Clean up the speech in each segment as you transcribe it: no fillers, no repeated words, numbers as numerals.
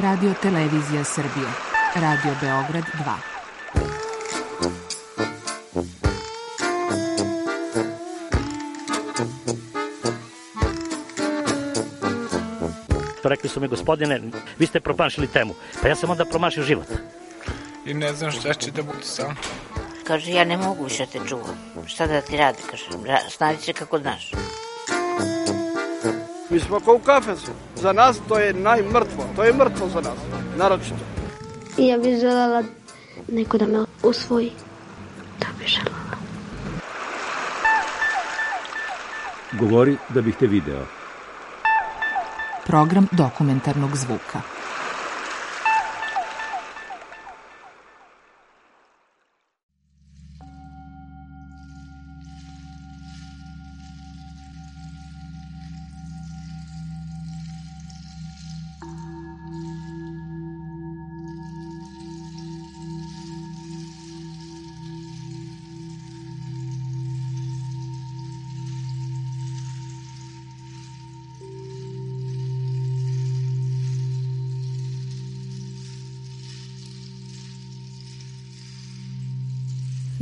Radio Televizija Srbije, Radio Beograd 2. Rekli su mi, gospodine, vi ste promašili temu. Pa ja sam onda promašio život. I ne znam šta će da bude sam. Kaže, ja ne mogu više te čuvam. Šta da ti radi, kaže, snađi se kako znaš. Mi smo kao u kafesu. Za nas to je najmrtvo. To je mrtvo za nas, naročito. I ja bih želela neko da me usvoji. To bih želela. Govori da bih te video. Program dokumentarnog zvuka.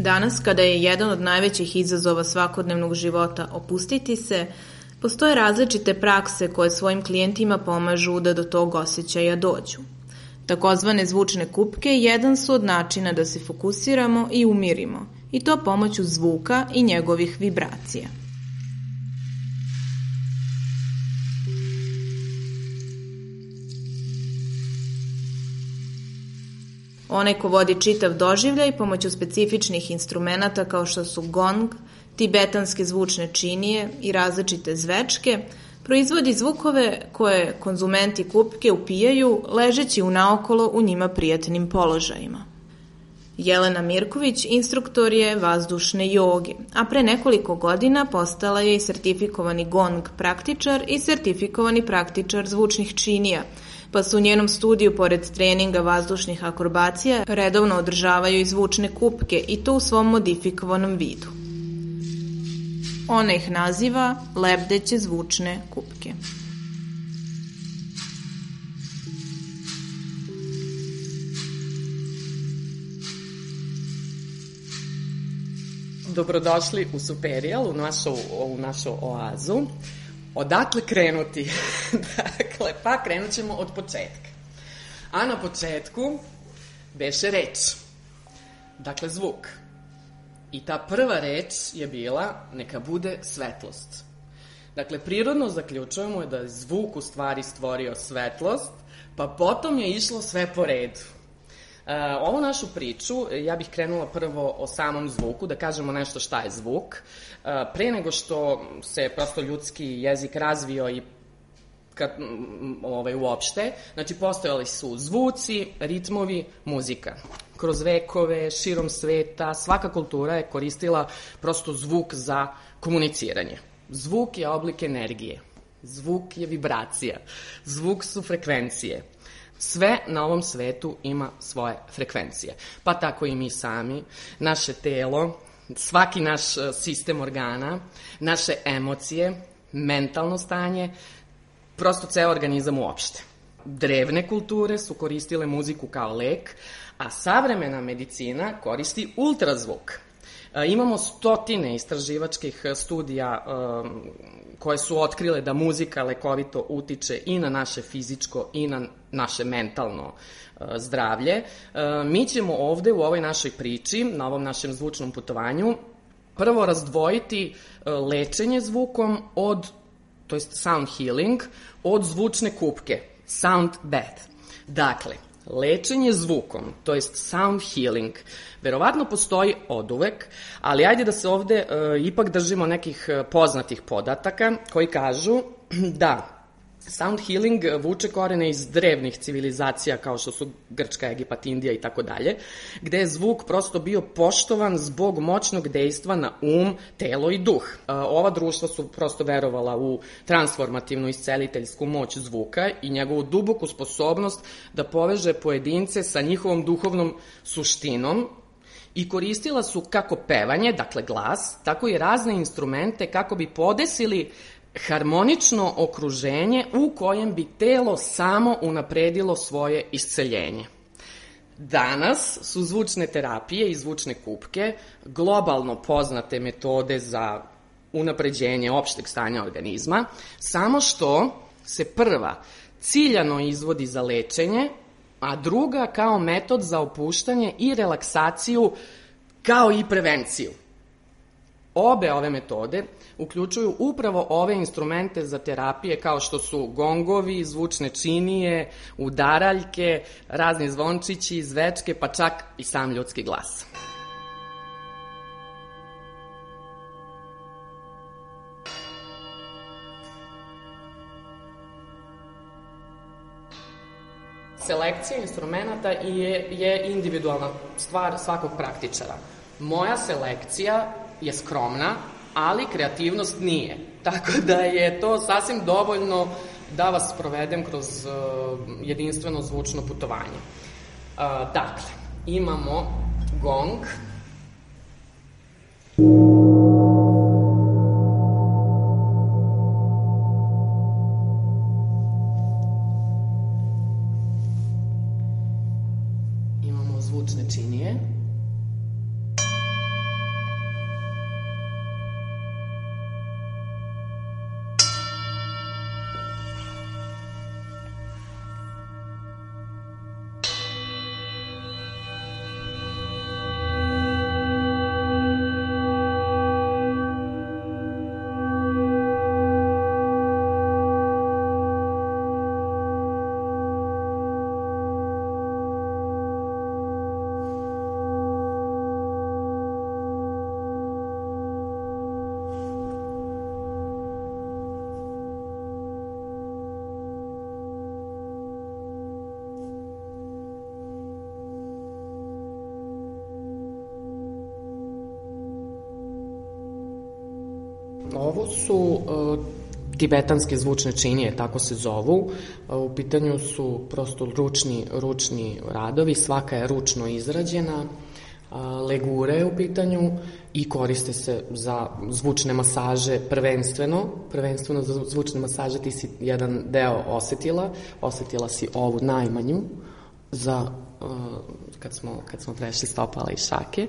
Danas, kada je jedan od najvećih izazova svakodnevnog života opustiti se, postoje različite prakse koje svojim klijentima pomažu da do tog osjećaja dođu. Takozvane zvučne kupke jedan su od načina da se fokusiramo i umirimo, i to pomoću zvuka i njegovih vibracija. Onaj ko vodi čitav doživljaj pomoću specifičnih instrumenata kao što su gong, tibetanske zvučne činije i različite zvečke, proizvodi zvukove koje konzumenti kupke upijaju ležeći unaokolo u njima prijatnim položajima. Jelena Mirković instruktor je vazdušne joge, a pre nekoliko godina postala je i sertifikovani gong praktičar i sertifikovani praktičar zvučnih činija, pa su u njenom studiju, pored treninga vazdušnih akrobacija, redovno održavaju i zvučne kupke, i to u svom modifikovanom vidu. Ona ih naziva lebdeće zvučne kupke. Dobrodošli u Superijal, u našu oazu. Odakle krenuti? Dakle, pa krenut ćemo od početka. A na početku beše reč. Dakle, zvuk. I ta prva reč je bila neka bude svetlost. Dakle, prirodno zaključujemo da je zvuk u stvari stvorio svetlost, pa potom je išlo sve po redu. Ovu našu priču, ja bih krenula prvo o samom zvuku, da kažemo nešto šta je zvuk. Pre nego što se prosto ljudski jezik razvio i uopšte, znači postojali su zvuci, ritmovi, muzika. Kroz vekove, širom sveta, svaka kultura je koristila prosto zvuk za komuniciranje. Zvuk je oblik energije, zvuk je vibracija, zvuk su frekvencije. Sve na ovom svetu ima svoje frekvencije, pa tako i mi sami, naše telo, svaki naš sistem organa, naše emocije, mentalno stanje, prosto ceo organizam uopšte. Drevne kulture su koristile muziku kao lek, a savremena medicina koristi ultrazvuk. Imamo stotine istraživačkih studija koje su otkrile da muzika lekovito utiče i na naše fizičko i na naše mentalno zdravlje. Mi ćemo ovde u ovoj našoj priči, na ovom našem zvučnom putovanju, prvo razdvojiti lečenje zvukom to jest sound healing, od zvučne kupke, sound bath. Dakle, lečenje zvukom, to jest sound healing, verovatno postoji oduvek, ali ajde da se ovde ipak držimo nekih poznatih podataka koji kažu da sound healing vuče korene iz drevnih civilizacija kao što su Grčka, Egipat, Indija i tako dalje, gde je zvuk prosto bio poštovan zbog moćnog dejstva na telo i duh. Ova društva su prosto verovala u transformativnu isceliteljsku moć zvuka i njegovu duboku sposobnost da poveže pojedince sa njihovom duhovnom suštinom i koristila su kako pevanje, dakle glas, tako i razne instrumente kako bi podesili harmonično okruženje u kojem bi telo samo unapredilo svoje isceljenje. Danas su zvučne terapije i zvučne kupke globalno poznate metode za unapređenje opšteg stanja organizma, samo što se prva ciljano izvodi za lečenje, a druga kao metod za opuštanje i relaksaciju, kao i prevenciju. Obe ove metode uključuju upravo ove instrumente za terapije kao što su gongovi, zvučne činije, udaraljke, razni zvončići, zvečke, pa čak i sam ljudski glas. Selekcija instrumenta je individualna stvar svakog praktičara. Moja selekcija je skromna, ali kreativnost nije. Tako da je to sasvim dovoljno da vas provedem kroz jedinstveno zvučno putovanje. Dakle, imamo gong. Imamo zvučne činije. Ovo su tibetanske zvučne činije, tako se zovu. U pitanju su prosto ručni radovi, svaka je ručno izrađena, legura je u pitanju i koriste se za zvučne masaže prvenstveno za zvučne masaže. Ti si jedan deo osetila si ovu najmanju za kad smo prešli stopala i šake,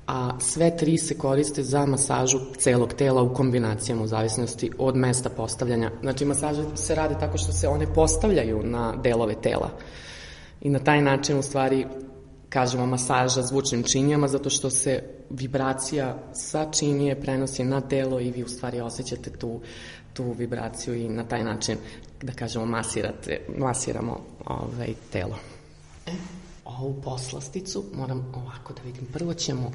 a sve tri se koriste za masažu celog tela u kombinacijama u zavisnosti od mesta postavljanja. Znači, masaže se rade tako što se one postavljaju na delove tela i na taj način u stvari kažemo masaža zvučnim činijama, zato što se vibracija sa činije prenosi na telo i vi u stvari osjećate tu vibraciju i na taj način, da kažemo, masiramo telo. Ovu poslasticu moram ovako da vidim. Prvo ćemo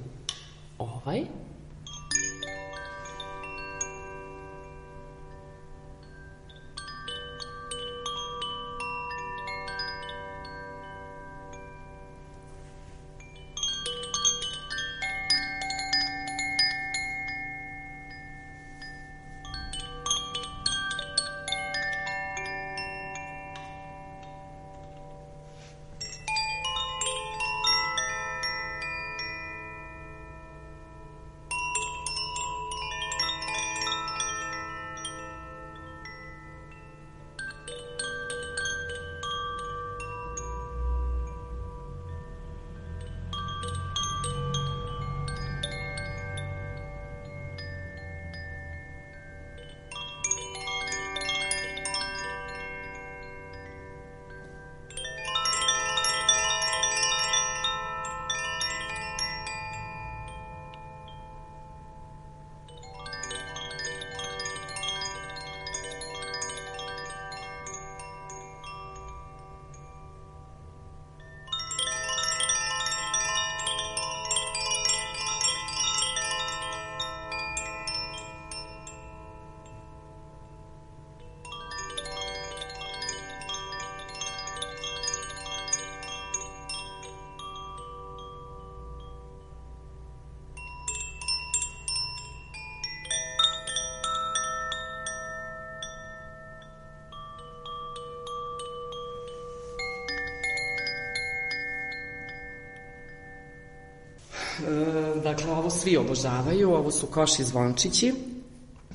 Dakle, ovo svi obožavaju, ovo su koši zvončići.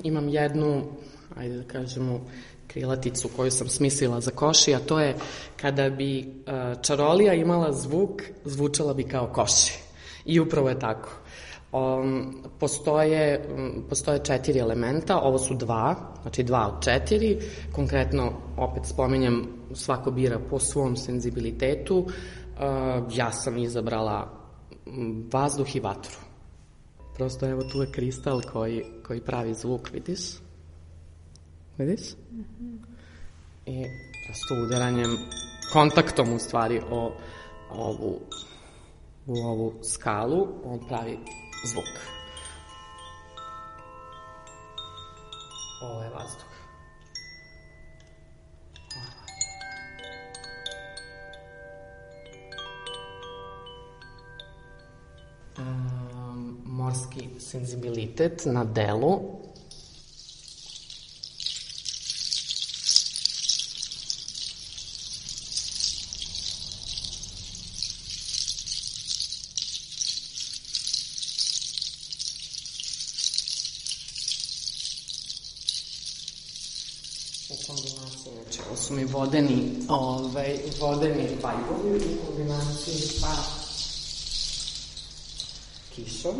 Imam jednu ajde da kažemo, krilaticu koju sam smislila za koši, a to je kada bi čarolija imala zvuk, zvučala bi kao koši. I upravo je tako. Postoje 4 elementa, ovo su 2, znači 2 od 4, konkretno, opet spominjem, svako bira po svom senzibilitetu, ja sam izabrala vazduh i vatru. Prosto evo tu je kristal koji pravi zvuk, vidiš? Vidiš? I prosto udaranjem, kontaktom u stvari u ovu skalu, on pravi zvuk. Ovo je vazduh. Morski senzibilitet na delu. U kombinaciji, znači, ovo su mi vodeni vajbovi u kombinaciji sa kišom.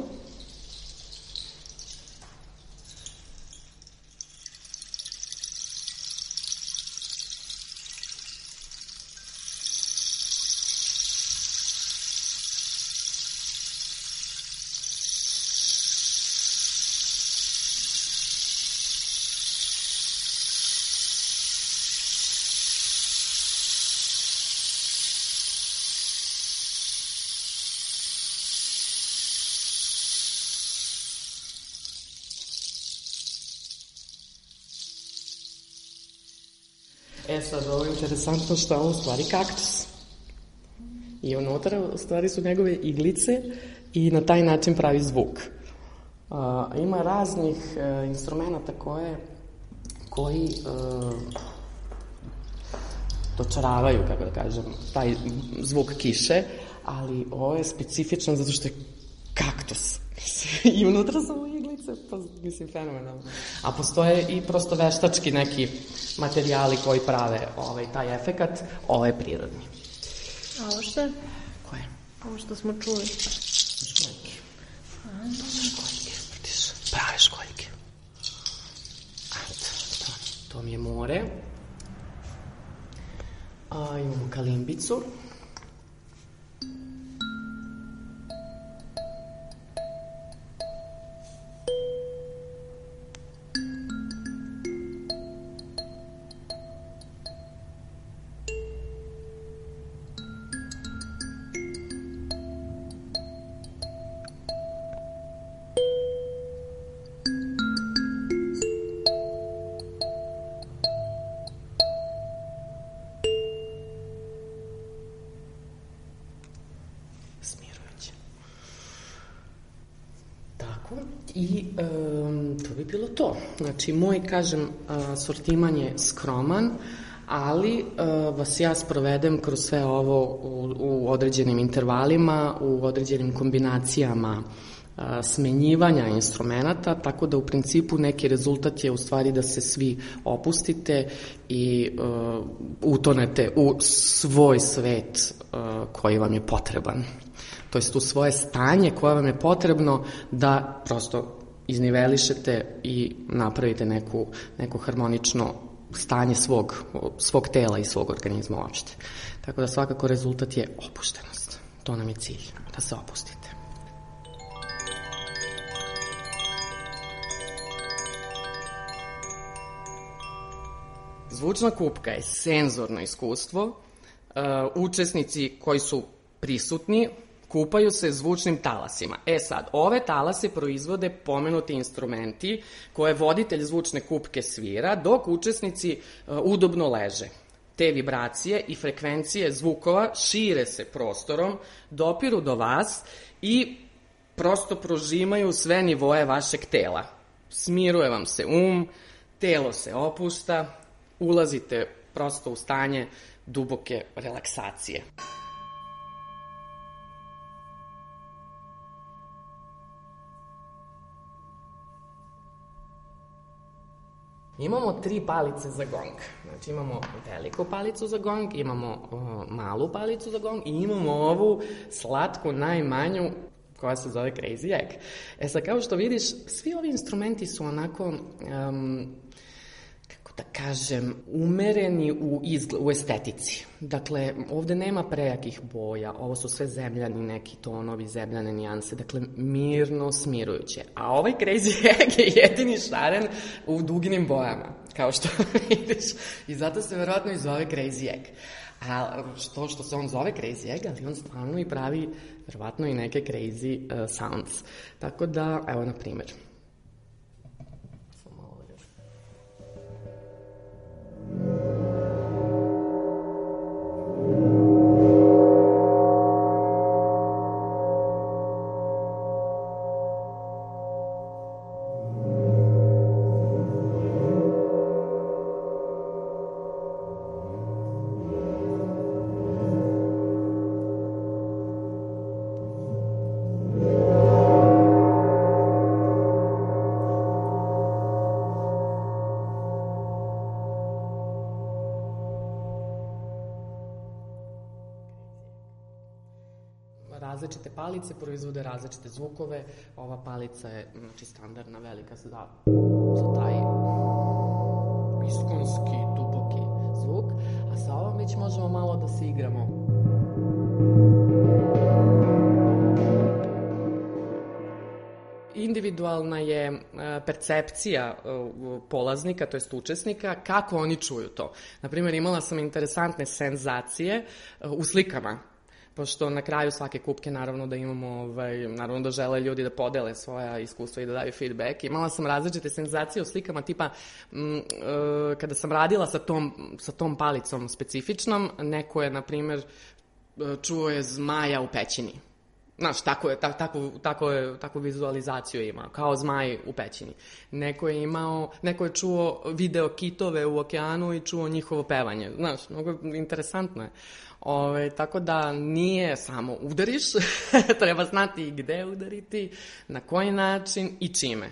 Sad, ovo je interesantno što je ovo u stvari kaktus. I unutra u stvari su njegove iglice i na taj način pravi zvuk. Ima raznih instrumenta koji dočaravaju, kako da kažem, taj zvuk kiše, ali ovo je specifično zato što je kaktus. I unutra su iglice, pa mislim fenomenalno. A postoje i prosto veštački neki materijali koji prave taj efekat, ovo je prirodni. A ovo što je? Koje? Ovo što smo čuli. Školjke. To su školjke, vidiš, prave školjke. To mi je more. Imamo kalimbicu. I to bi bilo to. Znači, moj, kažem, sortiman je skroman, ali vas ja sprovedem kroz sve ovo u određenim intervalima, u određenim kombinacijama smenjivanja instrumenta, tako da u principu neki rezultat je u stvari da se svi opustite i utonete u svoj svet koji vam je potreban. To jest u svoje stanje koje vam je potrebno da prosto iznivelišete i napravite neko harmonično stanje svog tela i svog organizma uopšte. Tako da svakako rezultat je opuštenost. To nam je cilj, da se opustite. Zvučna kupka je senzorno iskustvo. Učesnici koji su prisutni kupaju se zvučnim talasima. Sad, ove talase proizvode pomenuti instrumenti koje voditelj zvučne kupke svira, dok učesnici udobno leže. Te vibracije i frekvencije zvukova šire se prostorom, dopiru do vas i prosto prožimaju sve nivoe vašeg tela. Smiruje vam se telo se opušta, ulazite prosto u stanje duboke relaksacije. Imamo 3 palice za gong. Znači imamo veliku palicu za gong, imamo malu palicu za gong i imamo ovu slatku, najmanju, koja se zove Crazy Egg. Sad, kao što vidiš, svi ovi instrumenti su onako, kako da kažem, umereni u estetici. Dakle, ovde nema prejakih boja, ovo su sve zemljani neki tonovi, zemljane nijanse, dakle, mirno, smirujuće. A ovaj Crazy Egg je jedini šaren u duginim bojama, kao što vidiš. I zato se verovatno i zove Crazy Egg. A što se on zove Crazy Egg, ali on stvarno i pravi verovatno i neke crazy sounds. Tako da, evo na primjer. Različite palice proizvode različite zvukove. Ova palica je standardna, velika za taj iskonski, duboki zvuk, a sa ovom već možemo malo da se igramo. Individualna je percepcija polaznika, to jest učesnika, kako oni čuju to. Naprimjer, imala sam interesantne senzacije u slikama, pošto na kraju svake kupke naravno da imamo, naravno da žele ljudi da podele svoja iskustva i da daju feedback. Imala sam različite senzacije u slikama, tipa kada sam radila sa tom palicom specifičnom, neko je, na primjer, čuo je zmaja u pećini. Znaš, takvu vizualizaciju je imao, kao zmaj u pećini. Neko je čuo video kitove u okeanu i čuo njihovo pevanje. Znaš, mnogo interesantno je. Tako da nije samo udariš, treba znati i gde udariti, na koji način i čime.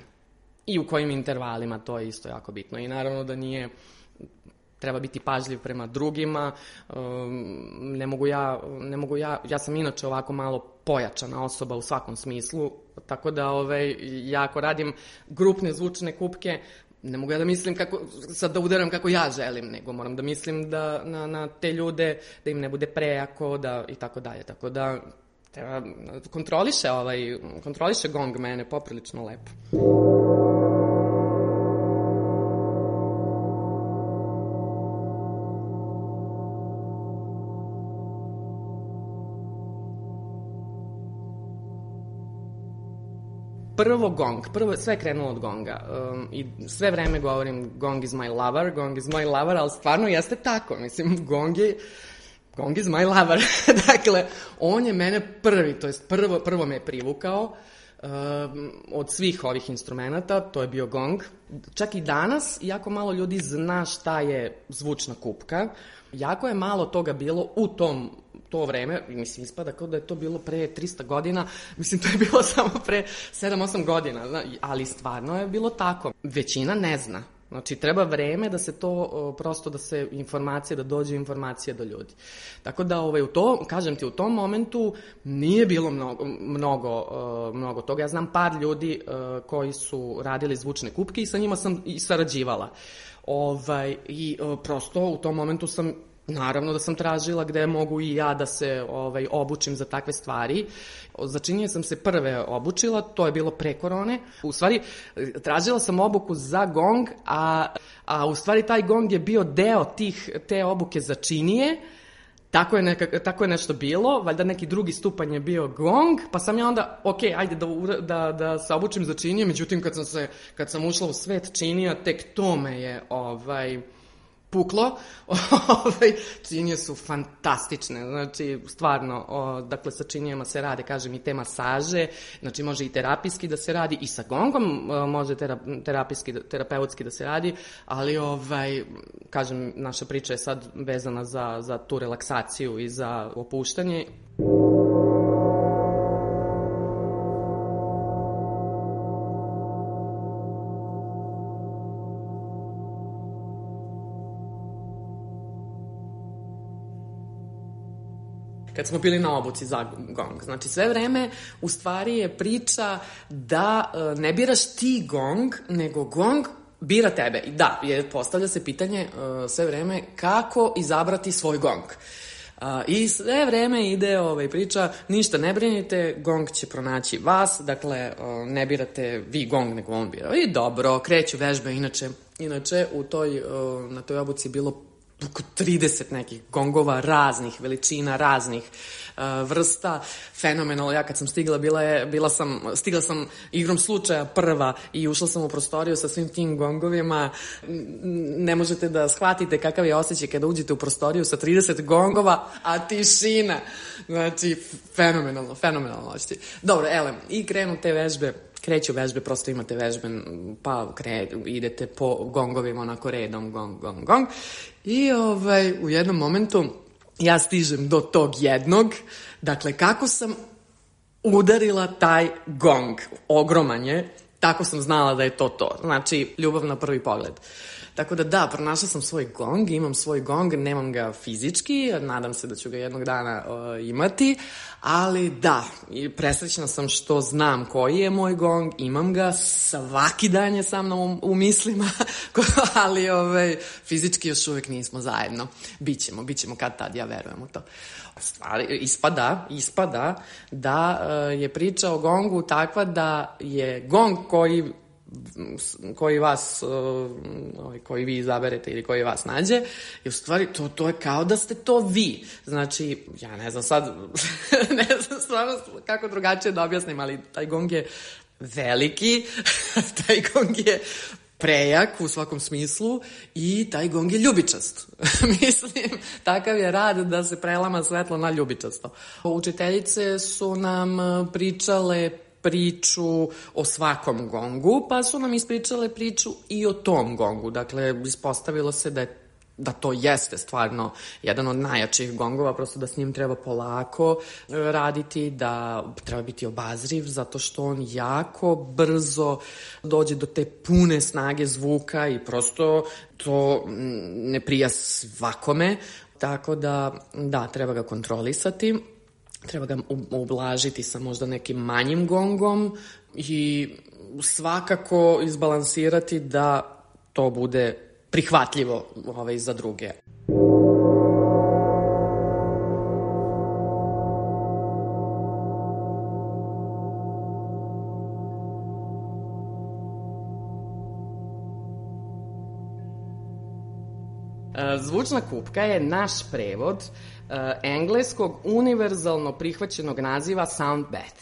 I u kojim intervalima, to je isto jako bitno. I naravno da nije... Treba biti pažljiv prema drugima, ja sam inače ovako malo pojačana osoba u svakom smislu, tako da ja ako radim grupne zvučne kupke, ne mogu ja da mislim sad da udaram kako ja želim, nego moram da mislim na te ljude, da im ne bude prejako, i tako dalje, tako da treba kontroliše gong mene poprilično lepo. Sve je krenulo od gonga i sve vreme govorim gong is my lover, ali stvarno jeste tako, mislim, gong is my lover, dakle, on je mene prvi, to jest prvo me je privukao od svih ovih instrumenta, to je bio gong. Čak i danas, jako malo ljudi zna šta je zvučna kupka, jako je malo toga bilo u to vreme, mislim, ispada kao da je to bilo pre 300 godina, mislim, to je bilo samo pre 7-8 godina, ali stvarno je bilo tako. Većina ne zna. Znači, treba vreme da se to, prosto da se da dođe informacija do ljudi. Tako da, kažem ti, u tom momentu nije bilo mnogo toga. Ja znam par ljudi koji su radili zvučne kupke i sa njima sam i sarađivala. I prosto u tom momentu sam, naravno da sam tražila gde mogu i ja da se obučim za takve stvari. Za činjenje sam se prve obučila, to je bilo pre korone. U stvari, tražila sam obuku za gong, a u stvari taj gong je bio deo te obuke za činije. Tako je nešto bilo, valjda neki drugi stupanj je bio gong, pa sam ja onda, ajde da se obučim za činije, međutim kad sam ušla u svet činija, tek to me je puklo. Činije su fantastične, znači stvarno, dakle sa činijama se rade, kažem, i te masaže, znači može i terapijski da se radi, i sa gongom može terapeutski da se radi, ali kažem, naša priča je sad vezana za tu relaksaciju i za opuštanje. kad smo bili na obuci za gong. Znači, sve vreme u stvari je priča da ne biraš ti gong, nego gong bira tebe. I da, postavlja se pitanje sve vreme kako izabrati svoj gong. I sve vreme ide priča, ništa ne brinite, gong će pronaći vas, dakle, ne birate vi gong, nego on bira. I dobro, kreću vežbe, inače na toj obuci je bilo oko 30 nekih gongova raznih veličina, raznih vrsta, fenomenalno. Ja kad sam stigla sam igrom slučaja prva i ušla sam u prostoriju sa svim tim gongovima. Ne možete da shvatite kakav je osjećaj kada uđete u prostoriju sa 30 gongova, a tišina. Znači, fenomenalno osjećaj. Dobro, i krenu te vežbe, kreću vežbe, prosto imate vežbe, pa idete po gongovima onako redom, gong. I u jednom momentu ja stižem do tog jednog, dakle, kako sam udarila taj gong, ogroman je, tako sam znala da je to. Znači, ljubav na prvi pogled. Tako da, pronašla sam svoj gong, imam svoj gong, nemam ga fizički, nadam se da ću ga jednog dana imati, ali da, presrećna sam što znam koji je moj gong, imam ga, svaki dan je sa mnom u mislima, ali fizički još uvek nismo zajedno. Bićemo kad tad, ja verujem u to. Stvari, ispada da je priča o gongu takva da je gong koji vi izaberete ili koji vas nađe, i u stvari to je kao da ste to vi. Znači, ja ne znam sad, ne znam stvarno kako drugačije da objasnim, ali taj gong je veliki, taj gong je prejak u svakom smislu i taj gong je ljubičast. Mislim, takav je rad da se prelama svetlo na ljubičasto. Učiteljice su nam pričale priču o svakom gongu, pa su nam ispričale priču i o tom gongu. Dakle, ispostavilo se da to jeste stvarno jedan od najjačih gongova, prosto da s njim treba polako raditi, da treba biti obazriv, zato što on jako brzo dođe do te pune snage zvuka i prosto to ne prija svakome, tako da, treba ga kontrolisati. Treba ga ublažiti sa možda nekim manjim gongom i svakako izbalansirati da to bude prihvatljivo za druge. Zvučna kupka je naš prevod engleskog univerzalno prihvaćenog naziva sound bath.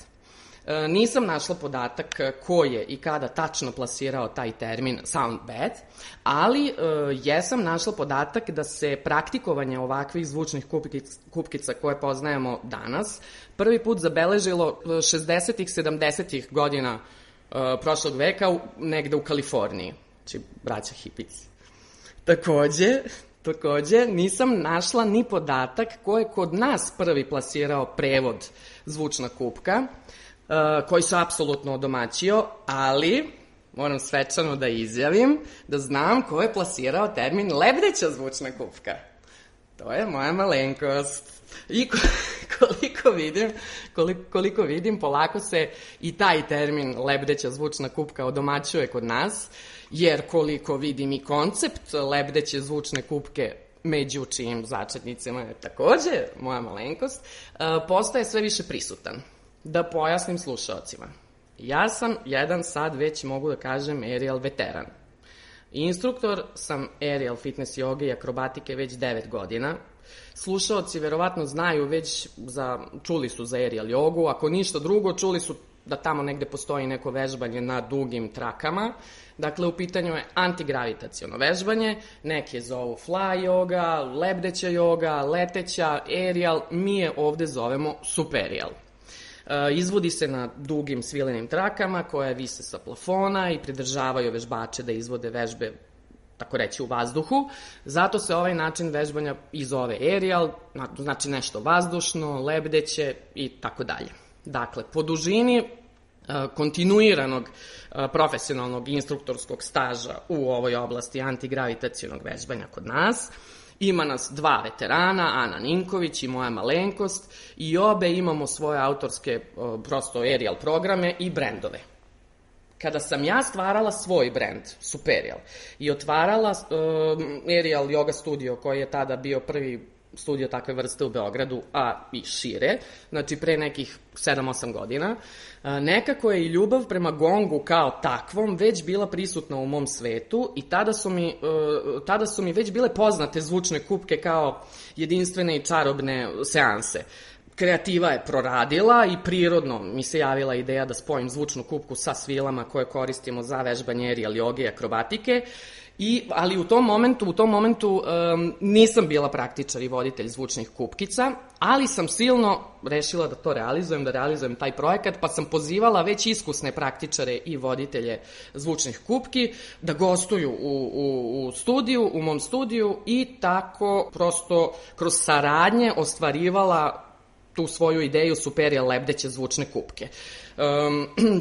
Nisam našla podatak ko je i kada tačno plasirao taj termin sound bath, ali jesam našla podatak da se praktikovanje ovakvih zvučnih kupkica koje poznajemo danas prvi put zabeležilo 60-ih, 70-ih godina prošlog veka negde u Kaliforniji, znači braća hipici. Takođe, nisam našla ni podatak ko je kod nas prvi plasirao prevod zvučna kupka, koji se apsolutno odomaćio, ali moram svečano da izjavim da znam ko je plasirao termin lebdeća zvučna kupka. To je moja malenkost. I koliko vidim, polako se i taj termin lebdeća zvučna kupka odomaćuje kod nas, jer koliko vidim i koncept lebdeće zvučne kupke, među čijim začetnicima je takođe moja malenkost, postaje sve više prisutan. Da pojasnim slušaocima. Ja sam sad već mogu da kažem aerial veteran. Instruktor sam aerial fitness joge i akrobatike već 9 godina. Slušaoci verovatno znaju čuli su za aerial jogu, ako ništa drugo, čuli su da tamo negde postoji neko vežbanje na dugim trakama. Dakle, u pitanju je antigravitaciono vežbanje, neki je zovu fly yoga, lebdeća joga, leteća, aerial, mi je ovde zovemo superial. Izvodi se na dugim svilenim trakama koje vise sa plafona i pridržavaju vežbače da izvode vežbe, tako reći, u vazduhu. Zato se ovaj način vežbanja i zove aerial, znači nešto vazdušno, lebdeće i tako dalje. Dakle, po dužini kontinuiranog profesionalnog instruktorskog staža u ovoj oblasti antigravitacionog vežbanja kod nas, Ima nas 2 veterana, Ana Ninković i moja malenkost, i obe imamo svoje autorske prosto aerial programe i brendove. Kada sam ja stvarala svoj brend, Superial, i otvarala aerial yoga studio, koji je tada bio prvi studio takve vrste u Beogradu, a i šire, znači pre nekih 7-8 godina, nekako je i ljubav prema gongu kao takvom već bila prisutna u mom svetu i tada su mi već bile poznate zvučne kupke kao jedinstvene i čarobne seanse. Kreativa je proradila i prirodno mi se javila ideja da spojim zvučnu kupku sa svilama koje koristimo za vežbanje aerial joge i akrobatike, ali u tom momentu nisam bila praktičar i voditelj zvučnih kupkica, ali sam silno rešila da to realizujem taj projekat, pa sam pozivala već iskusne praktičare i voditelje zvučnih kupki da gostuju u mom studiju i tako prosto kroz saradnje ostvarivala tu svoju ideju Superial lebdeće zvučne kupke.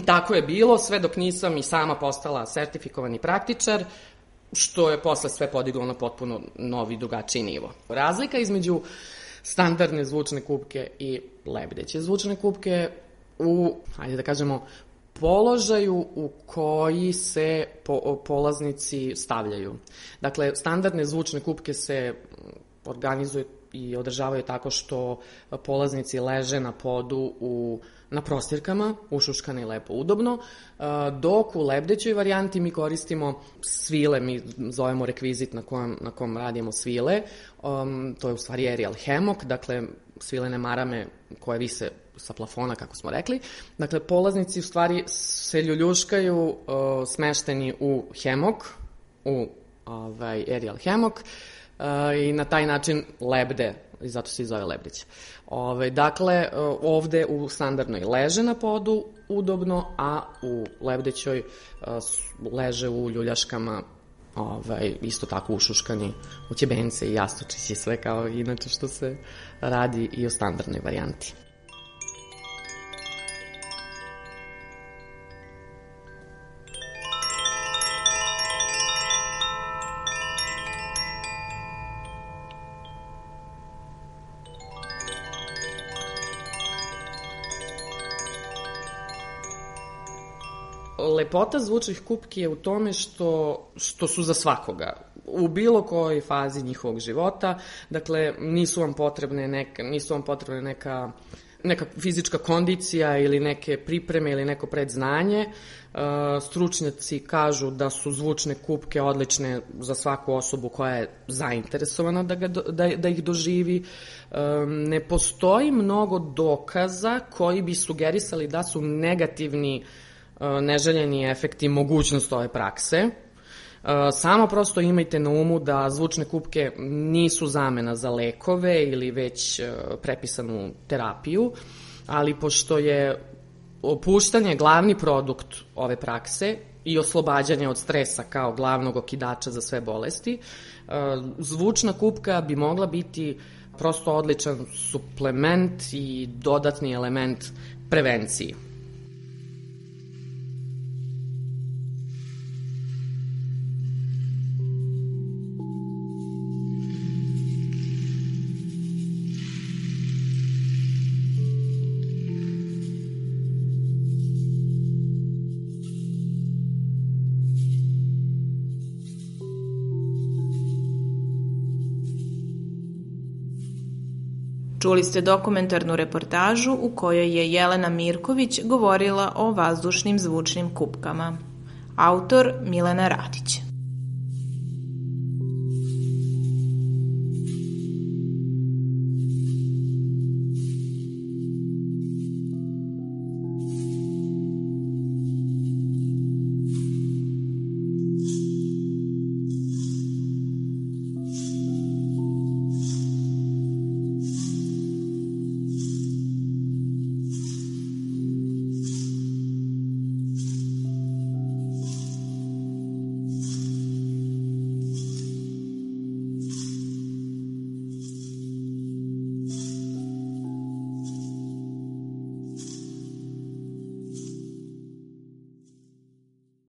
Tako je bilo sve dok nisam i sama postala sertifikovani praktičar, što je posle sve podiglo na potpuno novi, drugačiji nivo. Razlika između standardne zvučne kupke i lebdeće zvučne kupke u, hajde da kažemo, položaju u koji se polaznici stavljaju. Dakle, standardne zvučne kupke se organizuju i održavaju tako što polaznici leže na podu na prostirkama, ušuškane i lepo udobno, dok u lebdećoj varijanti mi koristimo svile, mi zovemo rekvizit na kom radimo svile, to je u stvari aerial hammock, dakle svilene marame koje vise sa plafona, kako smo rekli. Dakle, polaznici u stvari se ljuljuškaju smešteni u hammock, u aerial hammock, i na taj način lebde, i zato se i zove lebdeće. Dakle, ovde u standardnoj leže na podu udobno, a u lebdećoj leže u ljuljaškama, isto tako ušuškani u ćebence i jastučići, sve kao inače što se radi i u standardnoj varijanti. Lepota zvučnih kupki je u tome što su za svakoga, u bilo kojoj fazi njihovog života. Dakle, nisu vam potrebne neka fizička kondicija ili neke pripreme ili neko predznanje. Stručnjaci kažu da su zvučne kupke odlične za svaku osobu koja je zainteresovana da ih doživi. Ne postoji mnogo dokaza koji bi sugerisali da su negativni neželjeni efekti mogućnost ove prakse. Samo prosto imajte na umu da zvučne kupke nisu zamena za lekove ili već prepisanu terapiju, ali pošto je opuštanje glavni produkt ove prakse i oslobađanje od stresa kao glavnog okidača za sve bolesti, zvučna kupka bi mogla biti prosto odličan suplement i dodatni element prevenciji. Čuli ste dokumentarnu reportažu u kojoj je Jelena Mirković govorila o vazdušnim zvučnim kupkama. Autor Milena Radić.